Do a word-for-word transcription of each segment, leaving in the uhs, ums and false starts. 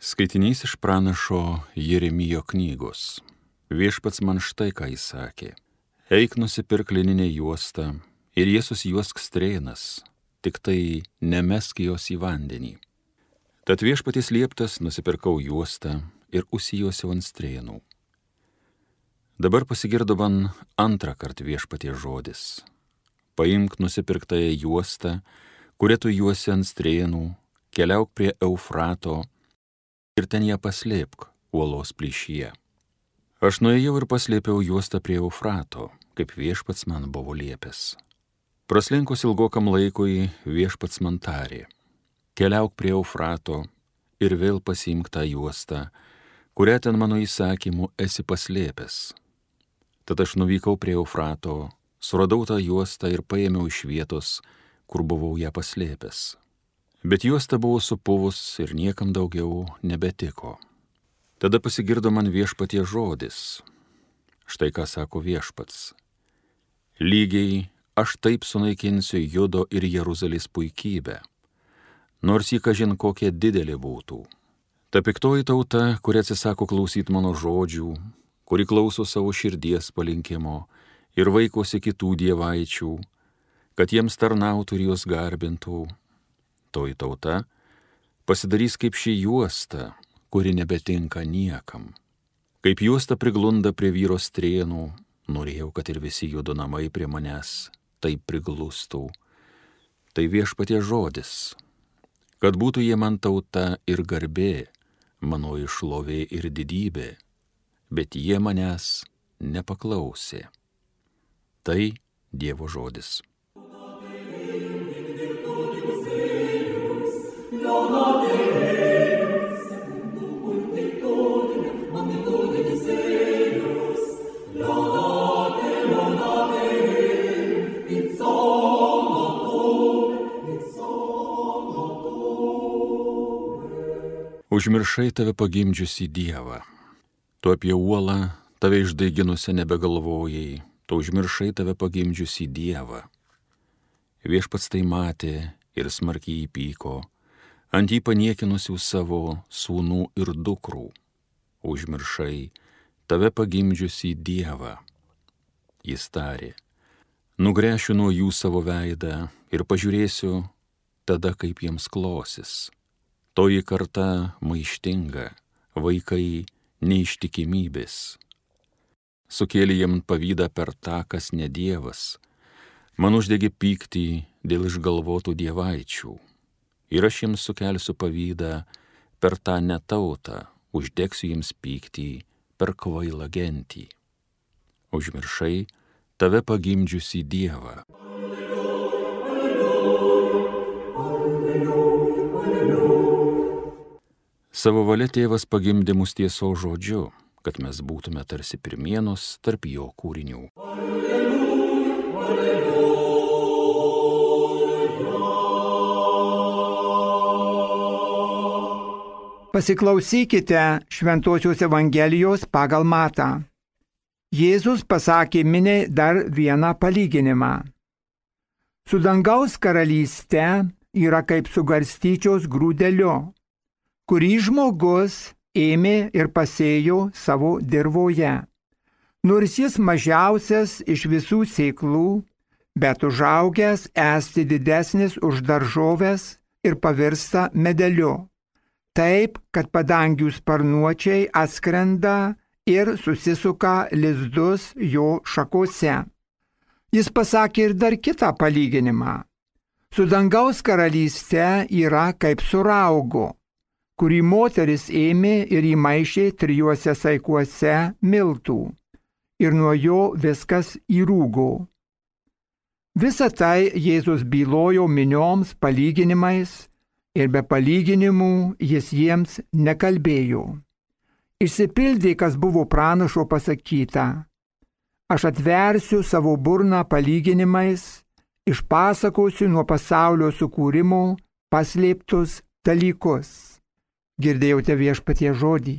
Skaitinys iš pranašo Jeremijo knygos. Viešpats man štai ką jis sakė. Eik nusipirk lininę juostą ir jie susijuosk strėnas, tik tai nemesk jos į vandenį. Tad viešpaties lieptas nusipirkau juostą ir užsijuosiau ant strėnų. Dabar pasigirdo man antrą kartą viešpaties žodis. Paimk nusipirktąją juostą, kurią tu juosi ant strėnų, keliauk prie Eufrato ir ten ją paslėpk uolos plyšyje. Aš nuėjau ir paslėpiau juostą prie Eufrato, kaip viešpats man buvo liepęs. Praslinkus ilgokam laikui viešpats man tarė: keliauk prie Eufrato ir vėl pasiimk tą juostą, kurią ten mano įsakymu esi paslėpęs. Tad aš nuvykau prie Eufrato, suradau tą juostą ir paėmiau iš vietos, kur buvau ją paslėpęs. Bet juosta buvo supuvus ir niekam daugiau nebetiko. Tada pasigirdo man viešpaties žodis. Štai ką sako viešpats. Lygiai aš taip sunaikinsiu Judo ir Jeruzalės puikybę, nors jį kažin kokia didelė būtų. Ta piktoji tauta, kuri atsisako klausyti mano žodžių, kuri klauso savo širdies palinkimo ir vaikosi kitų dievaičių, kad jiems tarnautų ir juos garbintų, toji tauta pasidarys kaip ši juosta, kuri nebetinka niekam. Kaip juosta priglunda prie vyro strėnų, norėjau, kad ir visi Judo namai prie manęs taip priglustų. Tai viešpaties žodis, kad būtų jie man tauta ir garbė, mano šlovė ir didybė, bet jie manęs nepaklausė. Tai Dievo žodis. Užmiršai tave pagimdžiusi Dievą. Tu apie uolą tave išdaiginusią nebegalvojai, tu užmiršai tave pagimdžiusi Dievą. Viešpats tai matė ir smarkiai įpyko, ant jį paniekinusių savo sūnų ir dukrų. Užmiršai tave pagimdžiusi Dievą. Jis tarė: nugręšiu nuo jų savo veidą ir pažiūrėsiu tada, kaip jiems klosis. Toji karta maištinga, vaikai neištikimybės. Sukėlė jiem pavydą per tą, kas ne Dievas. Man uždegė pyktį dėl išgalvotų dievaičių. Ir aš jiems sukelsiu pavydą per tą netautą, uždegsiu jiems pyktį per kvailą gentį. Užmiršai tave pagimdžiusi Dievą. Savo valia tėvas pagimdė mus tiesos žodžiu, kad mes būtume tarsi pirmienos tarp jo kūrinių. Pasiklausykite Šventosios Evangelijos pagal Matą. Jėzus pasakė miniai dar vieną palyginimą. Su dangaus karalyste yra kaip su garstyčios grūdeliu, kurį žmogus ėmė ir pasėjo savo dirvoje. Nors jis mažiausias iš visų sėklų, bet užaugęs esti didesnis už daržoves ir pavirsta medeliu. Taip, kad padangių sparnuočiai atskrenda ir susisuka lizdus jo šakose. Jis pasakė ir dar kitą palyginimą. Su dangaus karalyste yra kaip su raugu, kurį moteris ėmė ir įmaišė trijuose saikuose miltų, ir nuo jo viskas įrūgo. Visą tai Jėzus bylojo minioms palyginimais, ir be palyginimų jis jiems nekalbėjo. Išsipildė, kas buvo pranašo pasakyta: aš atversiu savo burną palyginimais, išpasakosiu nuo pasaulio sukūrimo paslėptus dalykus. Girdėjote viešpaties žodį.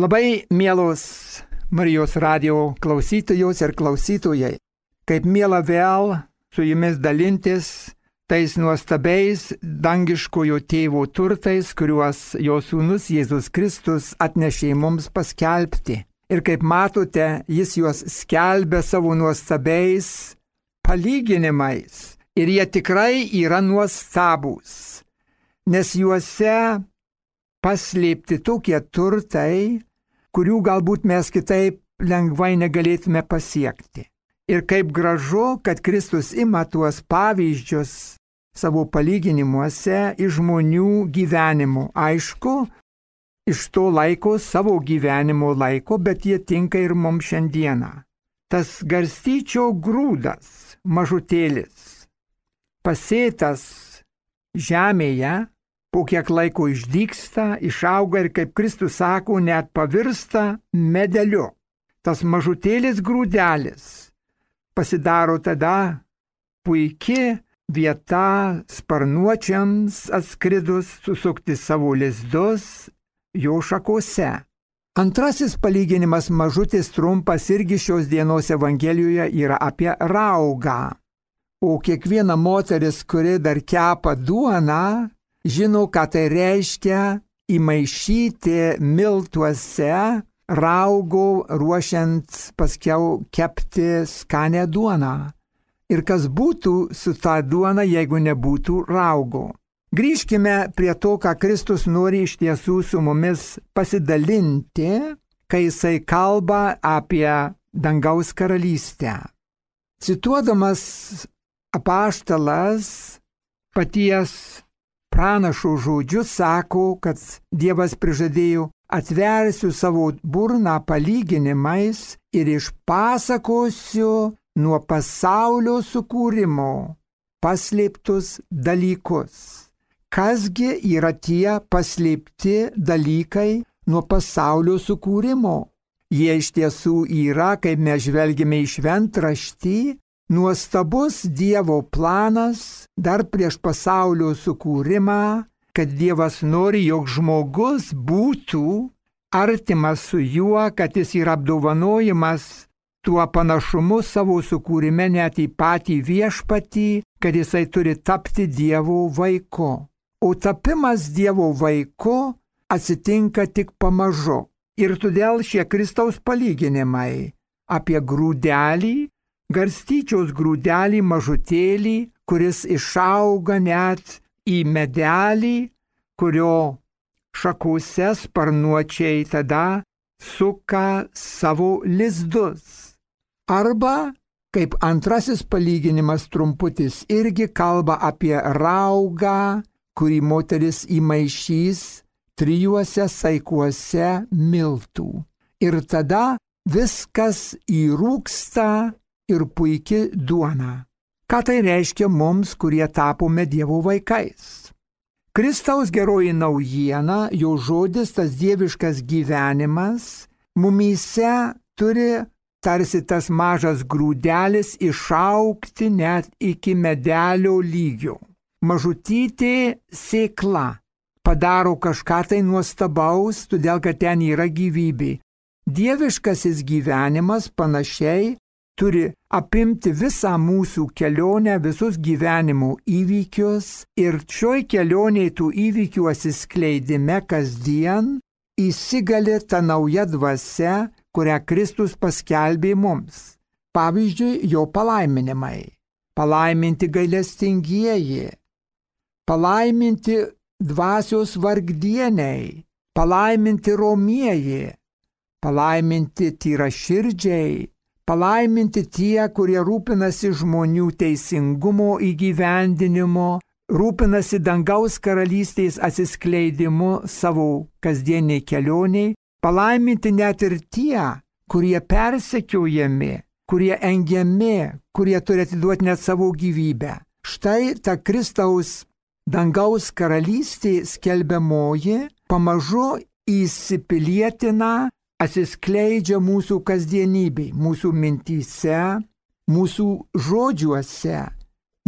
Labai mielos Marijos radijo klausytojos ir klausytojai, Kaip miela vėl su jumis dalintis tais nuostabiais dangiškojo tėvo turtais, kuriuos jo sūnus Jėzus Kristus atnešė mums paskelbti. Ir kaip matote, jis juos skelbia savo nuostabiais palyginimais. Ir jie tikrai yra nuostabūs, nes juose paslėpti tokie turtai, kurių galbūt mes kitaip lengvai negalėtume pasiekti. Ir kaip gražu, kad Kristus ima tuos pavyzdžius savo palyginimuose iš žmonių gyvenimų. Aišku, iš to laiko, savo gyvenimo laiko, bet jie tinka ir mums šiandieną. Tas garstyčio grūdas, mažutėlis, pasėtas žemėje, po kiek laiko išdygsta, išauga ir, kaip Kristus sako, net pavirsta medeliu. Tas mažutėlis grūdelis pasidaro tada puikia vieta sparnuočiams atskridus susukti savo lizdus jo šakose. Antrasis palyginimas mažutis trumpas irgi šios dienos Evangelijoje yra apie raugą. O kiekviena moteris, kuri dar kepa duoną, žino, ką tai reiškia įmaišyti miltuose raugo, ruošiant paskiau kepti skanę duoną. Ir kas būtų su ta duona, jeigu nebūtų raugo. Grįžkime prie to, ką Kristus nori iš tiesų su mumis pasidalinti, kai jisai kalba apie dangaus karalystę. Cituodamas apaštalas paties pranašo žodžius sako, kad Dievas prižadėjo: atversiu savo burną palyginimais ir išpasakosiu nuo pasaulio sukūrimo paslėptus dalykus. Kasgi yra tie paslėpti dalykai nuo pasaulio sukūrimo? Jie iš tiesų yra, kaip mes žvelgime į šventraštį, nuostabus Dievo planas dar prieš pasaulio sukūrimą, kad Dievas nori, jog žmogus būtų artimas su juo, kad jis yra apdovanojimas tuo panašumu savo sukūrime net į patį viešpatį, kad jisai turi tapti Dievo vaiku. O tapimas Dievo vaiku atsitinka tik pamažu. Ir todėl šie Kristaus palyginimai apie grūdelį, garstyčios grūdelį mažutėlį, kuris išauga net į medelį, kurio šakose sparnuočiai tada suka savo lizdus. Arba, kaip antrasis palyginimas trumputis, irgi kalba apie raugą, kurį moteris įmaišys trijuose saikuose miltų. Ir tada viskas įrūksta ir puikia duona. Ką tai reiškia mums, kurie tapome Dievo vaikais? Kristaus geroji naujiena, jo žodis, tas dieviškas gyvenimas, mumyse turi tarsi tas mažas grūdelis išaugti net iki medelio lygio. Mažutytė sėkla padaro kažką tai nuostabaus, todėl kad ten yra gyvybė. Dieviškasis gyvenimas panašiai turi apimti visą mūsų kelionę, visus gyvenimo įvykius ir šioj kelionėje tų įvykių atsiskleidime kasdien įsigali ta nauja dvasia, kurią Kristus paskelbė mums. Pavyzdžiui, jo palaiminimai. Palaiminti gailestingieji, palaiminti dvasios vargdieniai, palaiminti romieji, palaiminti tyraširdžiai, palaiminti tie, kurie rūpinasi žmonių teisingumo įgyvendinimo, rūpinasi dangaus karalystės atsiskleidimu savo kasdieniai kelioniai, palaiminti net ir tie, kurie persekiojami, kurie engiami, kurie turi atiduoti net savo gyvybę. Štai ta Kristaus dangaus karalystė skelbiamoji pamažu įsipilietina, atsiskleidžia mūsų kasdienybei, mūsų mintyse, mūsų žodžiuose,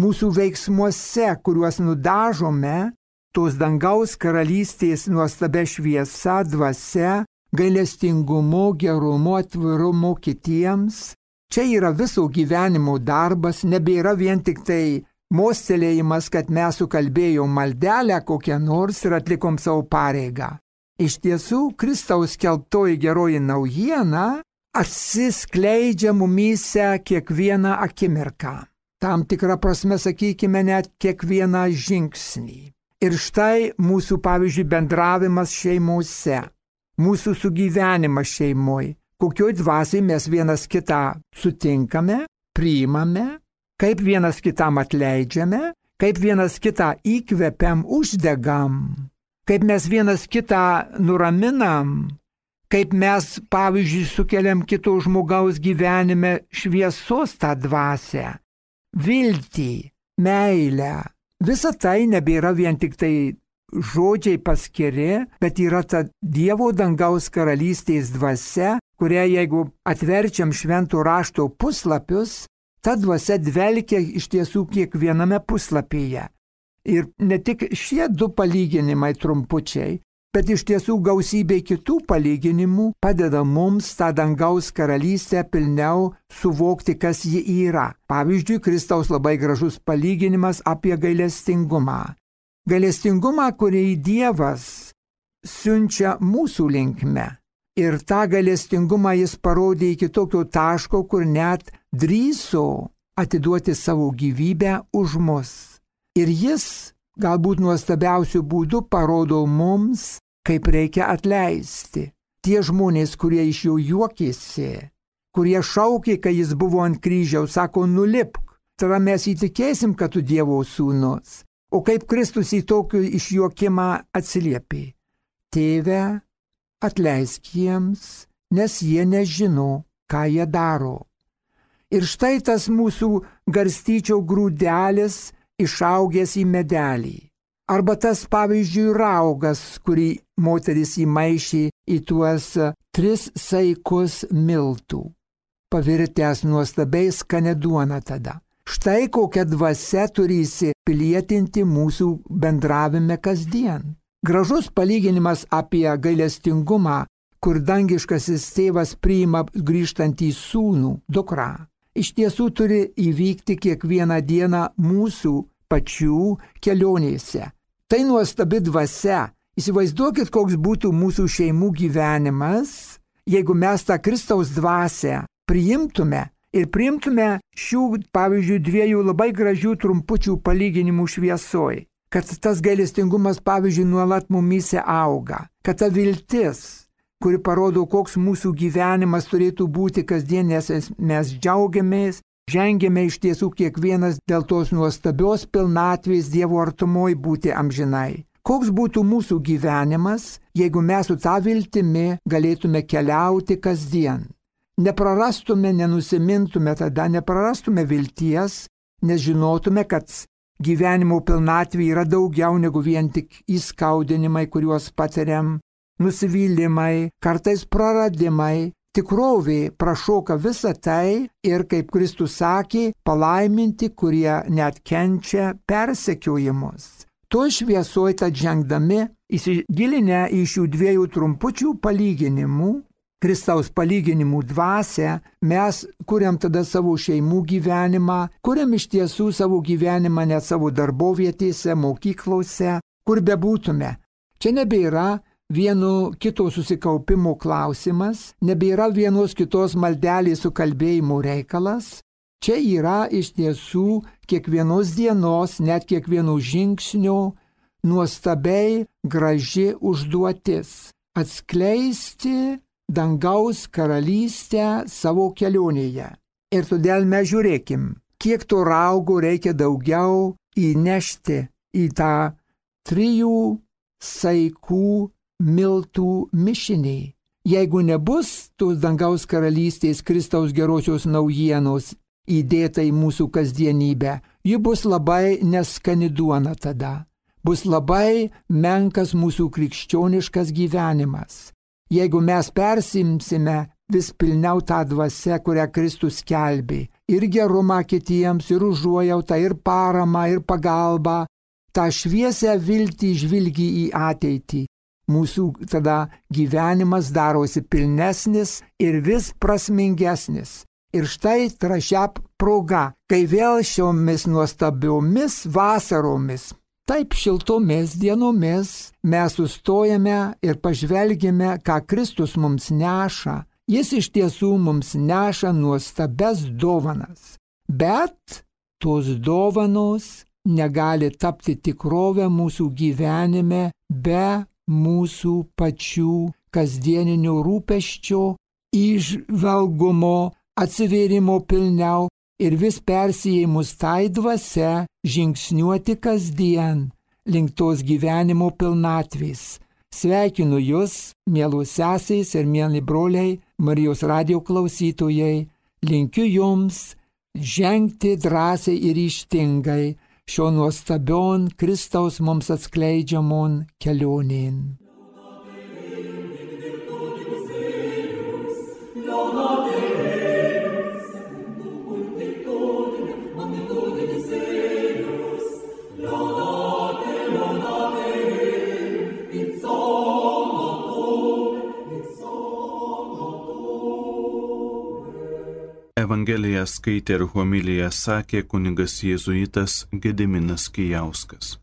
mūsų veiksmuose, kuriuos nudažome, tos dangaus karalystės nuostabia šviesa, dvasia, gailestingumu, gerumu, atvirumu kitiems, Čia yra viso gyvenimo darbas, nebėra vien tik tai mostelėjimas, kad mes sukalbėjom maldelę kokią nors ir atlikom savo pareigą. Iš tiesų, Kristaus skelbtoji geroji naujiena atsiskleidžia mumyse kiekvieną akimirką. Tam tikrą prasme, sakykime, net kiekvieną žingsnį. Ir štai mūsų, pavyzdžiui, bendravimas šeimose, mūsų sugyvenimas šeimoje, kokioj dvasiai mes vienas kitą sutinkame, priimame, kaip vienas kitam atleidžiame, kaip vienas kitą įkvepiam, uždegam, kaip mes vienas kitą nuraminam, kaip mes, pavyzdžiui, sukeliam kito žmogaus gyvenime šviesos tą dvasią, viltį, meilę. Visa tai nebėra vien tik tai žodžiai paskiri, bet yra ta Dievo dangaus karalystės dvasia, kurią jeigu atverčiam švento rašto puslapius, ta dvasia dvelkia iš tiesų kiekviename puslapyje. Ir ne tik šie du palyginimai trumpučiai, bet iš tiesų gausybė kitų palyginimų padeda mums tą dangaus karalystę pilniau suvokti, kas ji yra. Pavyzdžiui, Kristaus labai gražus palyginimas apie gailestingumą. Gailestingumą, kurį Dievas siunčia mūsų linkme. Ir tą gailestingumą jis parodė iki tokio taško, kur net drįso atiduoti savo gyvybę už mus. Ir jis galbūt nuostabiausių būdų parodo mums, kaip reikia atleisti. Tie žmonės, kurie iš jo juokėsi, kurie šaukė, kai jis buvo ant kryžiaus, sako, nulipk, tada mes įtikėsim, kad tu Dievo sūnus. O kaip Kristus į tokį išjuokimą atsiliepė? Tėve, atleisk jiems, nes jie nežino, ką jie daro. Ir štai tas mūsų garstyčio grūdelis išaugęs į medelį. Arba tas, pavyzdžiui, raugas, kurį moteris įmaišė į tuos tris saikus miltų, pavirtęs nuostabiai skanę duoną tada. Štai kokia dvasia turi įsipilietinti mūsų bendravime kasdien. Gražus palyginimas apie gailestingumą, kur dangiškasis tėvas priima grįžtantį sūnų, dukrą. Iš tiesų turi įvykti kiekvieną dieną mūsų pačių kelionėse. Tai nuostabi dvasia. Įsivaizduokit, koks būtų mūsų šeimų gyvenimas, jeigu mes tą Kristaus dvasią priimtume ir priimtume šių, pavyzdžiui, dviejų labai gražių trumpučių palyginimų šviesoj. Kad tas gailestingumas, pavyzdžiui, nuolat mumyse auga. Kad ta viltis, kuri parodo, koks mūsų gyvenimas turėtų būti kasdien, nes mes džiaugiamės, žengėme iš tiesų kiekvienas dėl tos nuostabios pilnatvės Dievo artumoj būti amžinai. Koks būtų mūsų gyvenimas, jeigu mes su tą viltimi galėtume keliauti kasdien. Neprarastume, nenusimintume tada, neprarastume vilties, nes žinotume, kad gyvenimo pilnatvė yra daugiau negu vien tik įskaudinimai, kuriuos patiriam, nusivylimai, kartais praradimai. Tikrovė prašoka visą tai ir, kaip Kristus sakė, palaiminti, kurie net kenčia persekiojimus. To šviesoj tad žengdami, įsigilinę į šių dviejų trumpučių palyginimų, Kristaus palyginimų dvasią, mes kuriam tada savo šeimų gyvenimą, kuriam iš tiesų savo gyvenimą net savo darbovietėse, mokyklose, kur bebūtume. Čia nebėra vieno kito susikaupimo klausimas, nebėra vienos kitos maldelės sukalbėjimo reikalas. Čia yra iš tiesų kiekvienos dienos, net kiekvieno žingsnio nuostabiai graži užduotis – atskleisti dangaus karalystę savo kelionėje. Ir todėl mes žiūrėkim, kiek to raugo reikia daugiau įnešti į tą trijų saikų miltų mišinį. Jeigu nebus tos dangaus karalystės Kristaus gerosios naujienos įdėta į mūsų kasdienybę, ji bus labai neskani duona tada. Bus labai menkas mūsų krikščioniškas gyvenimas. Jeigu mes persimsime vis pilniau tą dvasią, kurią Kristus skelbė, ir gerumą kitiems, ir užuojautą, ir paramą, ir pagalbą, tą šviesią viltį žvilgi į ateitį, mūsų tada gyvenimas darosi pilnesnis ir vis prasmingesnis. Ir štai trašia proga, kai vėl šiomis nuostabiomis vasaromis, taip šiltomis dienomis mes sustojame ir pažvelgime, ką Kristus mums neša. Jis iš tiesų mums neša nuostabes dovanas. Bet tos dovanos negali tapti tikrovę mūsų gyvenime be mūsų pačių kasdieninio rūpesčio, įžvalgumo, atsivėrimo pilniau ir vis persijėmus tai dvasia žingsniuoti kasdien link tos gyvenimo pilnatvės. Sveikinu Jūs, mielos sesės ir mieli broliai, Marijos radijo klausytojai, linkiu Jums žengti drąsiai ir ryžtingai šio nuostabion Kristaus mums atskleidžiamon kelionėn. Evangeliją skaitė ir homiliją sakė kunigas jėzuitas Gediminas Kijauskas.